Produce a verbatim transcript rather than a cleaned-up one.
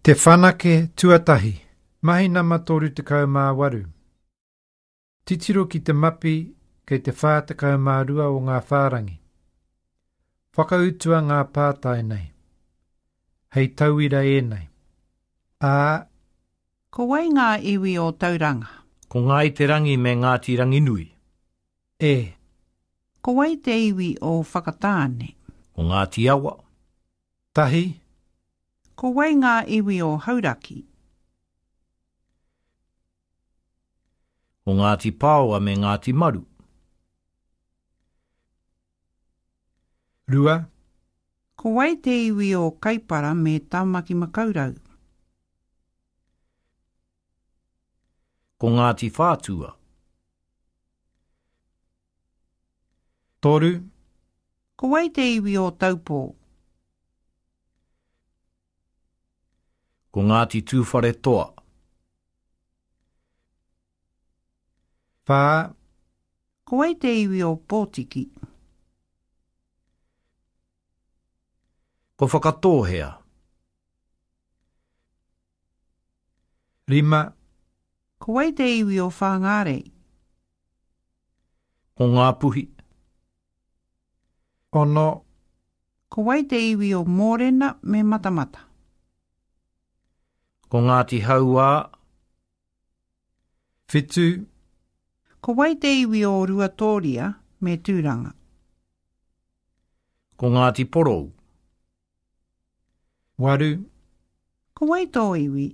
Te whanake tuatahi, mahi nama toru tekau mā waru. Titiro ki te mapi kei te whā tekau mā rua o ngā whārangi. Whakautua ngā pātai nei. Hei tauira ēnei. A. Ko wai ngā iwi o Tauranga? Ko Ngāi Te Rangi me Ngāti Ranginui. E. Ko wai te iwi o Whakatāne? Ko Ngāti Awa. Tahi. Ko wai ngā iwi o Hauraki? Ko Ngāti Pāoa me Ngāti Maru. Rua. Ko wai te iwi o Kaipara me Tāmaki Makaurau? Ko Ngāti Whātua. Toru. Ko wai te iwi o Taupō? Ko Ngāti Tūwharetoa. Whā. Ko wai te iwi o Pōtiki? Ko Whakatōhea. Rima. Ko wai te iwi o Whāngārei? Ko Ngāpuhi. Ono. Ko wai te iwi o Mōrena me Matamata? Ko Ngāti Hauā. Whitu. Ko wai te iwi o Ruatōria me Tūranga? Ko Ngāti Porou. Waru. Ko wai tō iwi?